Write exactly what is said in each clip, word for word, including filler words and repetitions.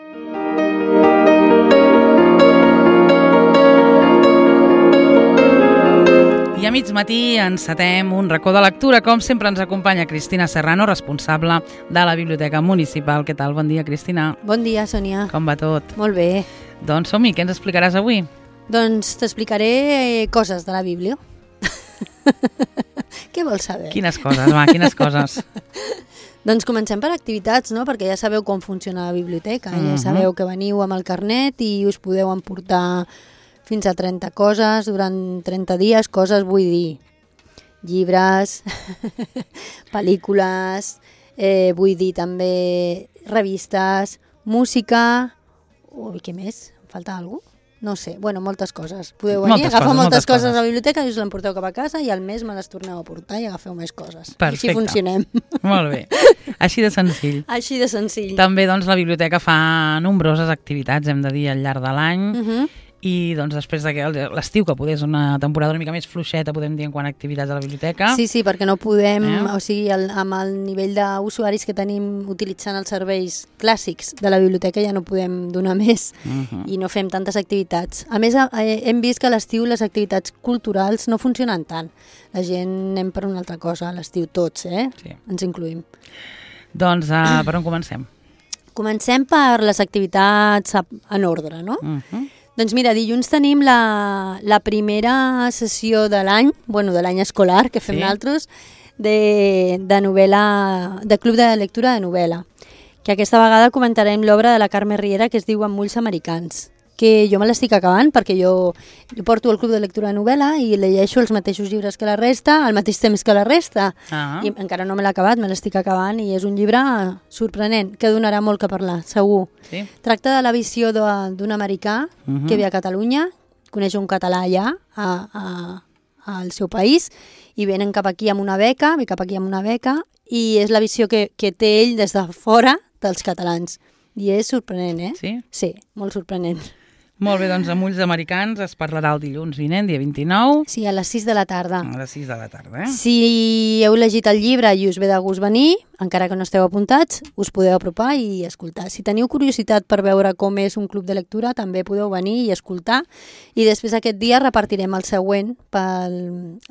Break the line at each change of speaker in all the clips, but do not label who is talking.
I a mig matí encetem un racó de lectura. Com sempre ens acompanya Cristina Serrano, responsable de la Biblioteca Municipal. Què tal? Bon dia, Cristina.
Bon dia, Sònia.
Com va tot?
Molt bé.
Doncs som-hi, què ens explicaràs avui?
Doncs t'explicaré coses de la Bíblia. Què vols saber?
Quines coses, va, quines coses?
Doncs comencem per activitats, no? Perquè ja sabeu com funciona la biblioteca. Uh-huh. Ja sabeu que veniu amb el carnet i us podeu emportar fins a trenta coses durant trenta dies. Coses vull dir llibres, pel·lícules, eh, vull dir també revistes, música... Ui, què més? Em falta alguna cosa? No sé, bueno, moltes coses. Podeu venir,
moltes
agafar
coses,
moltes,
moltes
coses
coses
a la biblioteca i us l'emporteu cap a casa i al mes me les torneu a portar i agafeu més coses.
Perfecte.
Així funcionem.
Molt bé. Així de senzill.
Així de senzill.
També doncs, la biblioteca fa nombroses activitats, hem de dir, al llarg de l'any.
Uh-huh.
I doncs després de que l'estiu, que poder és una temporada una mica més fluixeta, podem dir, en quant a activitats a la biblioteca.
Sí, sí, perquè no podem,
eh?
o sigui, el, amb el nivell d'usuaris que tenim utilitzant els serveis clàssics de la biblioteca ja no podem donar més uh-huh. i no fem tantes activitats. A més, eh, hem vist que a l'estiu les activitats culturals no funcionen tant. La gent anem per una altra cosa, a l'estiu tots, eh?
Sí.
Ens incluïm.
Doncs uh, per on comencem?
Comencem per les activitats en ordre, no?
Uh-huh.
Doncs mira, dilluns tenim la, la primera sessió de l'any, bueno, de l'any escolar que fem sí. nosaltres, de, de novel·la, de club de lectura de novel·la, que aquesta vegada comentarem l'obra de la Carme Riera que es diu Amb ulls americans, que jo me l'estic acabant perquè jo, jo porto el club de lectura de novel·la i llegeixo els mateixos llibres que la resta, al mateix temps que la resta, ah. i encara no me l'he acabat, me l'estic acabant i és un llibre sorprenent, que donarà molt que parlar, segur. Sí. Tracta de la visió d'un americà uh-huh. que ve a Catalunya, coneix un català allà, a, a, al seu país, i venen cap aquí amb una beca, ve cap aquí amb una beca, i és la visió que, que té ell des de fora dels catalans. I és sorprenent, eh?
Sí?
Sí, molt sorprenent.
Molt bé, doncs amb ulls americans es parlarà el dilluns vinent, dia vint-i-nou.
Sí, a les sis de la tarda.
A les sis de la tarda, eh?
Si heu llegit el llibre i us ve de gust venir, encara que no esteu apuntats, us podeu apropar i escoltar. Si teniu curiositat per veure com és un club de lectura, també podeu venir i escoltar. I després aquest dia repartirem el següent pel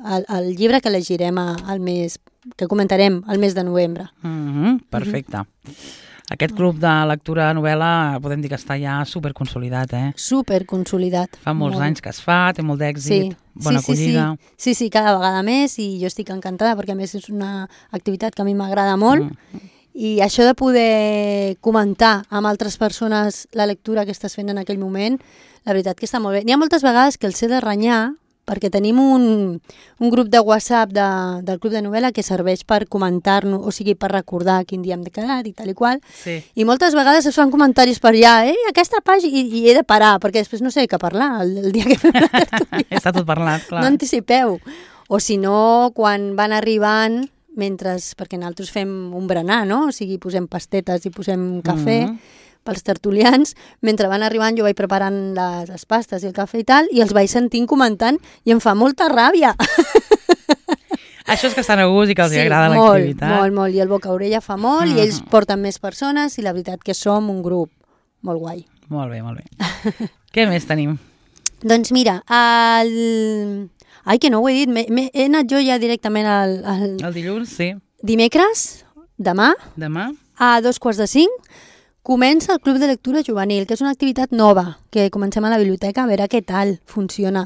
el, el llibre que llegirem al mes, que comentarem al mes de novembre.
Mm-hmm, perfecte. Mm-hmm. Aquest club de lectura de novel·la podem dir que està ja superconsolidat, eh?
Superconsolidat.
Fa molts molt. anys que es fa, té molt d'èxit, sí. bona
sí,
acollida.
Sí, sí. sí, sí, cada vegada més i jo estic encantada perquè a més és una activitat que a mi m'agrada molt mm. i això de poder comentar amb altres persones la lectura que estàs fent en aquell moment, la veritat que està molt bé. N'hi ha moltes vegades que els he de renyar perquè tenim un, un grup de WhatsApp de, del Club de Novel·la que serveix per comentar-nos, o sigui, per recordar quin dia hem quedat i tal i qual.
Sí.
I moltes vegades es fan comentaris per allà, eh, aquesta pàgina, i, i he de parar, perquè després no sé què parlar el, el dia que fem la tertúlia.
Està tot parlat, clar.
No anticipeu. O si no, quan van arribant, mentre, perquè nosaltres fem un berenar, no? O sigui, posem pastetes i posem cafè, mm-hmm. pels tertulians, mentre van arribant jo vaig preparant les, les pastes i el cafè i tal, i els vaig sentint comentant i em fa molta ràbia.
Això és que estan a gust i que els
sí,
agrada
molt,
l'activitat.
molt, molt, i el boca-orella fa molt, mm. i ells porten més persones i la veritat que som un grup molt guai.
Molt bé, molt bé. Què més tenim?
Doncs mira, el... Ai, que no ho he dit, he anat jo ja directament al... al...
El dilluns, sí.
Dimecres, demà,
demà,
a dos quarts de cinc, comença el Club de Lectura Juvenil, que és una activitat nova, que comencem a la biblioteca a veure què tal funciona.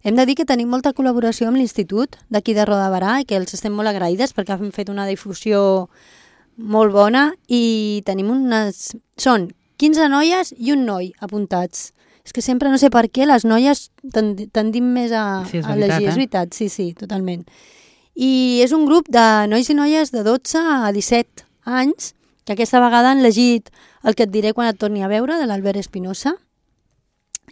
Hem de dir que tenim molta col·laboració amb l'Institut d'aquí de Roda de Barà i que els estem molt agraïdes perquè han fet una difusió molt bona i tenim unes... Són quinze noies i un noi apuntats. És que sempre no sé per què les noies tendim més a,
sí,
a
veritat,
llegir.
Eh?
És veritat, sí, sí, totalment. I és un grup de nois i noies de dotze a disset anys que aquesta vegada han llegit El que et diré quan et torni a veure, de l'Albert Espinosa.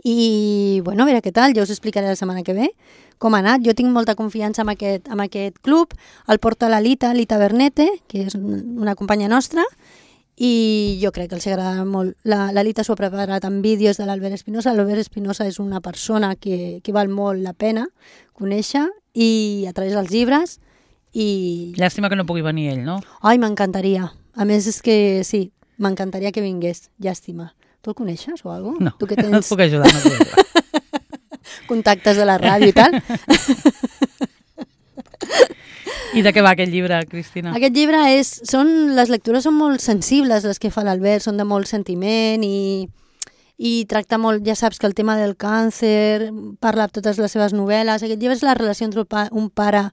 I, bueno, a veure què tal, jo us explicaré la setmana que ve com ha anat. Jo tinc molta confiança en aquest, en aquest club. El porta la Lita, Lita Bernete, que és una companya nostra, i jo crec que els agrada molt. La, la Lita s'ho ha preparat amb vídeos de l'Albert Espinosa. L'Albert Espinosa és una persona que, que val molt la pena conèixer i a través dels llibres. I...
Llàstima que no pugui venir ell, no?
Ai, m'encantaria. A més, és que sí, m'encantaria que vingués, llàstima, Tu el coneixes o alguna cosa?
No,
tu que
tens...
tens...
no et puc ajudar, no et puc ajudar.
Contactes de la ràdio i tal.
I de què va aquest llibre, Cristina?
Aquest llibre és... Són, les lectures són molt sensibles, les que fa l'Albert, són de molt sentiment i, i tracta molt, ja saps que el tema del càncer, parla de totes les seves novel·les. Aquest llibre és la relació entre un pare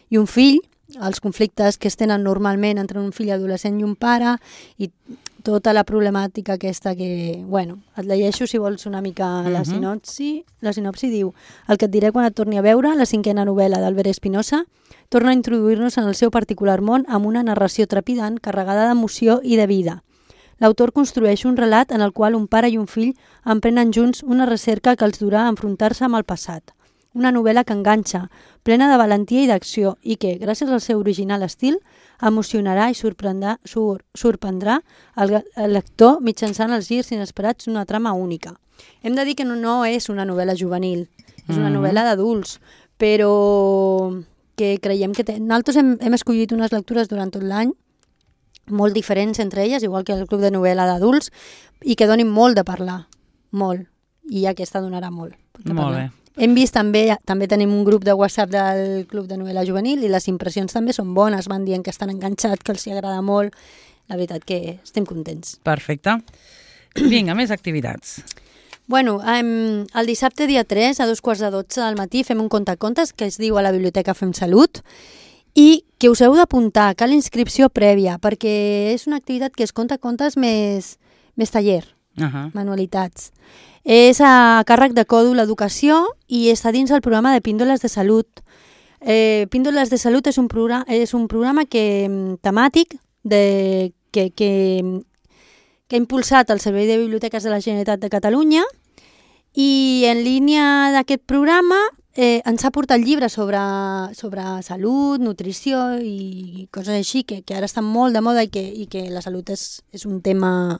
i un fill, els conflictes que es tenen normalment entre un fill adolescent i un pare i tota la problemàtica aquesta que... Bueno, et llegeixo si vols una mica la uh-huh. sinopsi. La sinopsi diu: el que et diré quan et torni a veure, la cinquena novel·la d'Albert Espinosa, torna a introduir-nos en el seu particular món amb una narració trepidant, carregada d'emoció i de vida. L'autor construeix un relat en el qual un pare i un fill emprenen junts una recerca que els durà a enfrontar-se amb el passat. Una novel·la que enganxa, plena de valentia i d'acció i que, gràcies al seu original estil, emocionarà i sorprendrà, sur, sorprendrà el, el lector mitjançant els girs inesperats d'una trama única. Hem de dir que no, no és una novel·la juvenil, és una
Mm.
novel·la d'adults, però que creiem que... Te... Nosaltres hem, hem escollit unes lectures durant tot l'any, molt diferents entre elles, igual que el Club de Novel·la d'adults, i que donin molt de parlar, molt. I aquesta donarà molt. de
Molt
parlar.
bé.
Hem vist també, també tenim un grup de WhatsApp del Club de Novel·la Juvenil i les impressions també són bones, van dient que estan enganxats, que els hi agrada molt. La veritat que estem contents.
Perfecte. Vinga, més activitats.
Bueno, um, el dissabte dia tres, a dos quarts de dotze del matí, fem un contacontes que es diu a la Biblioteca Fem Salut i que us heu d'apuntar, cal inscripció prèvia, perquè és una activitat que es conta contes més, més taller,
Uh-huh.
manualitats. És a càrrec de Còdul Educació i està dins el programa de Píndoles de Salut. Eh, Píndoles de Salut és un programa, és un programa que, temàtic de, que, que, que ha impulsat el Servei de Biblioteques de la Generalitat de Catalunya i en línia d'aquest programa eh, ens ha portat llibres sobre, sobre salut, nutrició i coses així que, que ara estan molt de moda i que, i que la salut és, és un tema...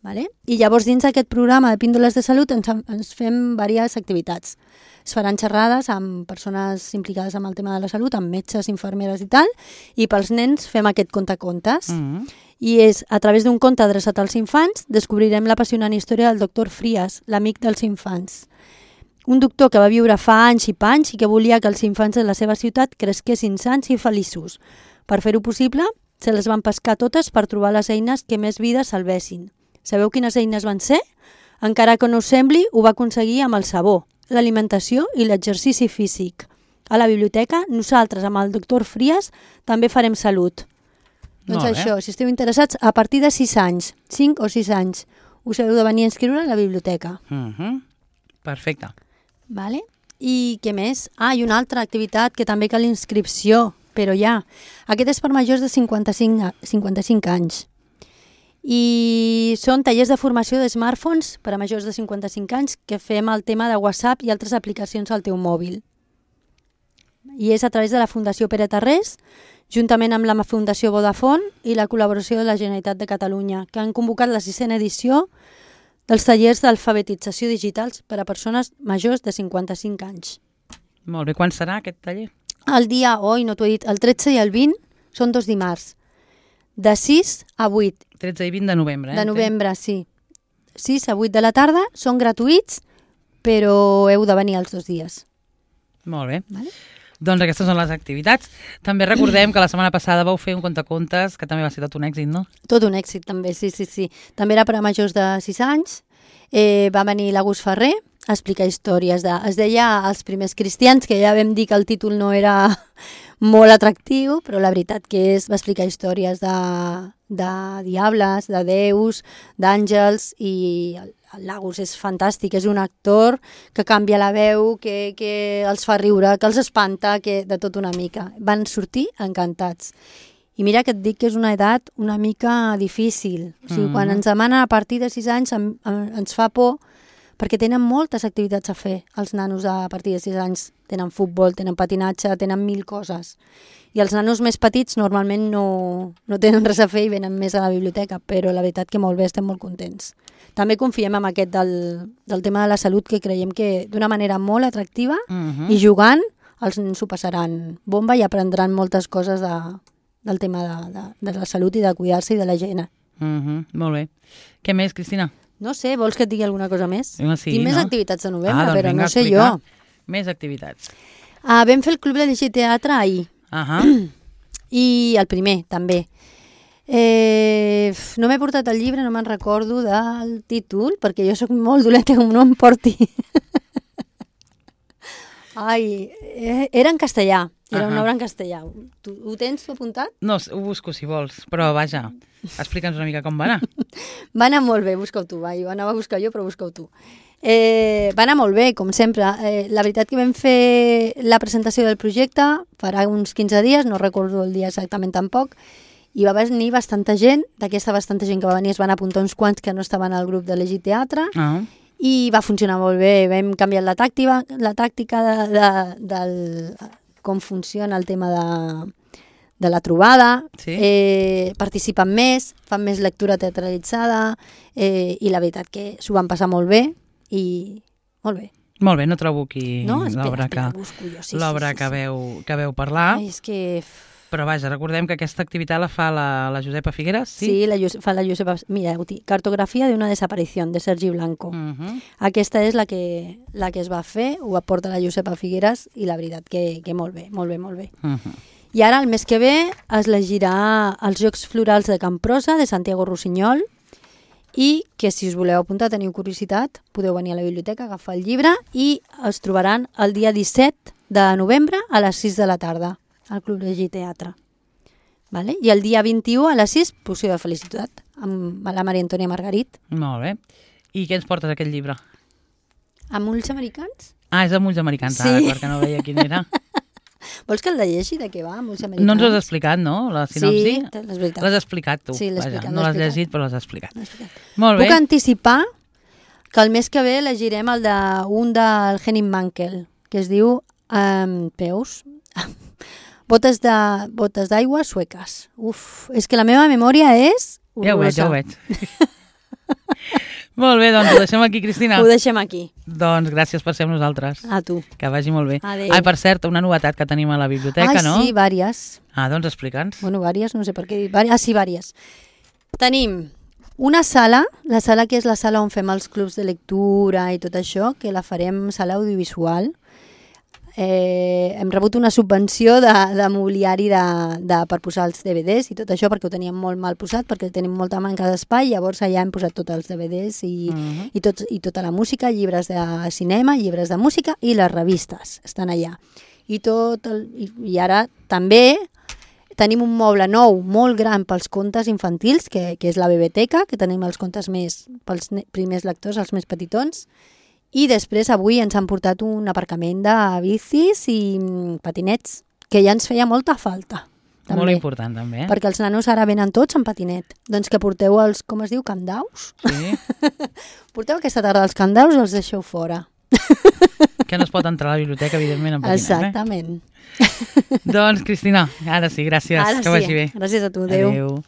Vale? I llavors dins d'aquest programa de Píndoles de Salut ens, ens fem diverses activitats. Es faran xerrades amb persones implicades amb el tema de la salut, amb metges, infermeres i tal, i pels nens fem aquest contacontes.
Mm-hmm.
I és, a través d'un conte adreçat als infants, descobrirem l'apassionant història del doctor Frías, l'amic dels infants. Un doctor que va viure fa anys i panys i que volia que els infants de la seva ciutat cresquessin sans i feliços. Per fer-ho possible, se les van pescar totes per trobar les eines que més vides salvessin. Sabeu quines eines van ser? Encara que no us sembli, ho va aconseguir amb el sabó, l'alimentació i l'exercici físic. A la biblioteca, nosaltres, amb el doctor Frías, també farem salut. Doncs
Molt bé.
això, si esteu interessats, a partir de sis anys, cinc o sis anys, us heu de venir a inscriure a la biblioteca.
Uh-huh. Perfecte.
Vale? I què més? Ah, i una altra activitat que també cal inscripció, però ja. Aquest és per majors de cinquanta-cinc, a- cinquanta-cinc anys. I són tallers de formació de smartphones per a majors de cinquanta-cinc anys que fem el tema de WhatsApp i altres aplicacions al teu mòbil. I és a través de la Fundació Pere Tarrés, juntament amb la Fundació Vodafone i la col·laboració de la Generalitat de Catalunya, que han convocat la sisena edició dels tallers d'alfabetització digitals per a persones majors de cinquanta-cinc anys.
Molt bé. Quan serà aquest taller?
El dia, oi, no t'ho he dit, el tretze i el vint són dos dimarts, de sis a vuit.
tretze i vint de novembre. Eh?
De novembre, sí. sis a vuit de la tarda, són gratuïts, però heu de venir els dos dies.
Molt bé.
Vale?
Doncs aquestes són les activitats. També recordem que la setmana passada vau fer un contacontes que també va ser tot un èxit, no?
Tot un èxit, també, sí, sí, sí. També era per a majors de sis anys. Eh, va venir l'Agus Ferrer a explicar històries de... Es deia Els primers cristians, que ja vam dir que el títol no era molt atractiu, però la veritat que és, va explicar històries de, de diables, de déus, d'àngels, i l'Agus és fantàstic, és un actor que canvia la veu, que, que els fa riure, que els espanta, que de tot una mica. Van sortir encantats. I mira que et dic que és una edat una mica difícil. O sigui,
Mm.
quan ens demanen a partir de sis anys em, em, ens fa por perquè tenen moltes activitats a fer. Els nanos a partir de sis anys tenen futbol, tenen patinatge, tenen mil coses. I els nanos més petits normalment no, no tenen res a fer i venen més a la biblioteca, però la veritat que molt bé, estem molt contents. També confiem en aquest del, del tema de la salut, que creiem que d'una manera molt atractiva
Uh-huh.
i jugant els nens s'ho passaran bomba i aprendran moltes coses de, del tema de, de, de la salut i de cuidar-se i de la higiene.
Uh-huh. Molt bé. Què més, Cristina?
No sé, vols que et digui alguna cosa més?
No, sí,
Tinc més
no?
activitats de novembre,
ah, doncs
però
vinga,
no sé
explicar.
jo.
Més activitats.
Ah, vam fer el Club de Llegir Teatre ahir.
Ahà.
I el primer, també. Eh, no m'he portat el llibre, no me'n recordo del títol, perquè jo sóc molt dolenta com no em porti. Ai, eh, era en castellà, era
Ahà.
una obra en castellà. Tu, ho tens tu apuntat?
No, ho busco si vols, però vaja, explica'ns una mica com va anar.
Va anar molt bé, busca-ho tu, va. Jo anava a buscar jo, però busca-ho tu. Eh, va anar molt bé, com sempre. Eh, la veritat que vam fer la presentació del projecte farà uns quinze dies, no recordo el dia exactament tampoc, i va venir bastanta gent. D'aquesta bastanta gent que va venir es van apuntar uns quants que no estaven al grup de Llegir Teatre,
Ah.
i va funcionar molt bé. Vam canviar la tàctica, la tàctica de, de, del, com funciona el tema de, de la trobada,
Sí.
eh, participen més, fan més lectura teatralitzada, eh, i la veritat que s'ho van passar molt bé, i molt bé.
Molt bé, no trobo aquí
No? Espera,
l'obra que,
espera, busco jo. Sí,
l'obra
sí, sí,
que,
sí.
veu, que veu parlar,
Ai, és que...
però vaja, recordem que aquesta activitat la fa la, la Josepa Figueras, sí?
Sí, la, Jose- fa la Josepa... Mira, Guti, cartografia de una desaparición, de Sergi Blanco.
Uh -huh.
Aquesta és la que, la que es va fer, ho aporta la Josepa Figueras, i la veritat que, que molt bé, molt bé, molt bé.
Uh -huh.
I ara, el mes que ve, es llegirà els Jocs Florals de Camprosa, de Santiago Rossinyol, i que si us voleu apuntar, teniu curiositat, podeu venir a la biblioteca, agafar el llibre, i els trobaran el dia disset de novembre a les sis de la tarda, al Club de Llegir Teatre. Vale? I el dia vint-i-u a les sis, Poció de Felicitat, amb la Maria Antònia Margarit.
Molt bé. I què ens portes aquest llibre?
Amb ulls americans?
Ah, és de Mulls Americans,
Sí.
ah, d'acord, que no veia quin era.
Vols que el llegeixi de què va, amb ulls americans?
No ens ho has explicat, no, la sinopsi?
Sí, és veritat.
L'has explicat tu.
Sí, l'he
vaja,
explicat,
no
l'he
l'has
explicat.
llegit, però l'has explicat.
No, és veritat.
Molt bé.
Puc anticipar que el mes que ve llegirem el de un del Henning Mankell, que es diu um, Peus, botes de botes d'aigua sueques. Uf, és que la meva memòria és
Ja ho veig, ja ho
horrorosa.
veig. Molt bé, doncs ho deixem aquí, Cristina.
Ho deixem aquí.
Doncs gràcies per ser amb nosaltres.
A tu.
Que vagi molt bé.
Adéu.
Ai, per cert, una novetat que tenim a la biblioteca,
Ai,
no?
sí, vàries.
Ah, doncs explica'ns.
Bueno, vàries, no sé per què dir. Vàries. Ah, sí, vàries. Tenim una sala, la sala que és la sala on fem els clubs de lectura i tot això, que la farem sala audiovisual. Eh, hem rebut una subvenció de, de mobiliari de, de, per posar els D V Ds i tot això, perquè ho teníem molt mal posat, perquè tenim molta manca d'espai, llavors allà hem posat tots els D V Ds i,
Uh -huh.
i, tots, i tota la música, llibres de cinema, llibres de música i les revistes estan allà. I, tot el, i, i ara també tenim un moble nou, molt gran pels contes infantils, que, que és la biblioteca, que tenim els contes més pels primers lectors, els més petitons, i després avui ens han portat un aparcament de bicis i patinets, que ja ens feia molta falta. També,
Molt important, també. Eh?
perquè els nanos ara venen tots en patinet. Doncs que porteu els, com es diu, candaus?
Sí.
Porteu aquesta tarda els candaus i els deixeu fora.
Que no es pot entrar a la biblioteca, evidentment, en patinet.
Exactament.
Eh? Doncs, Cristina, ara sí, gràcies.
Ara
que
sí.
vagi bé.
Gràcies a tu, adéu.
Adéu.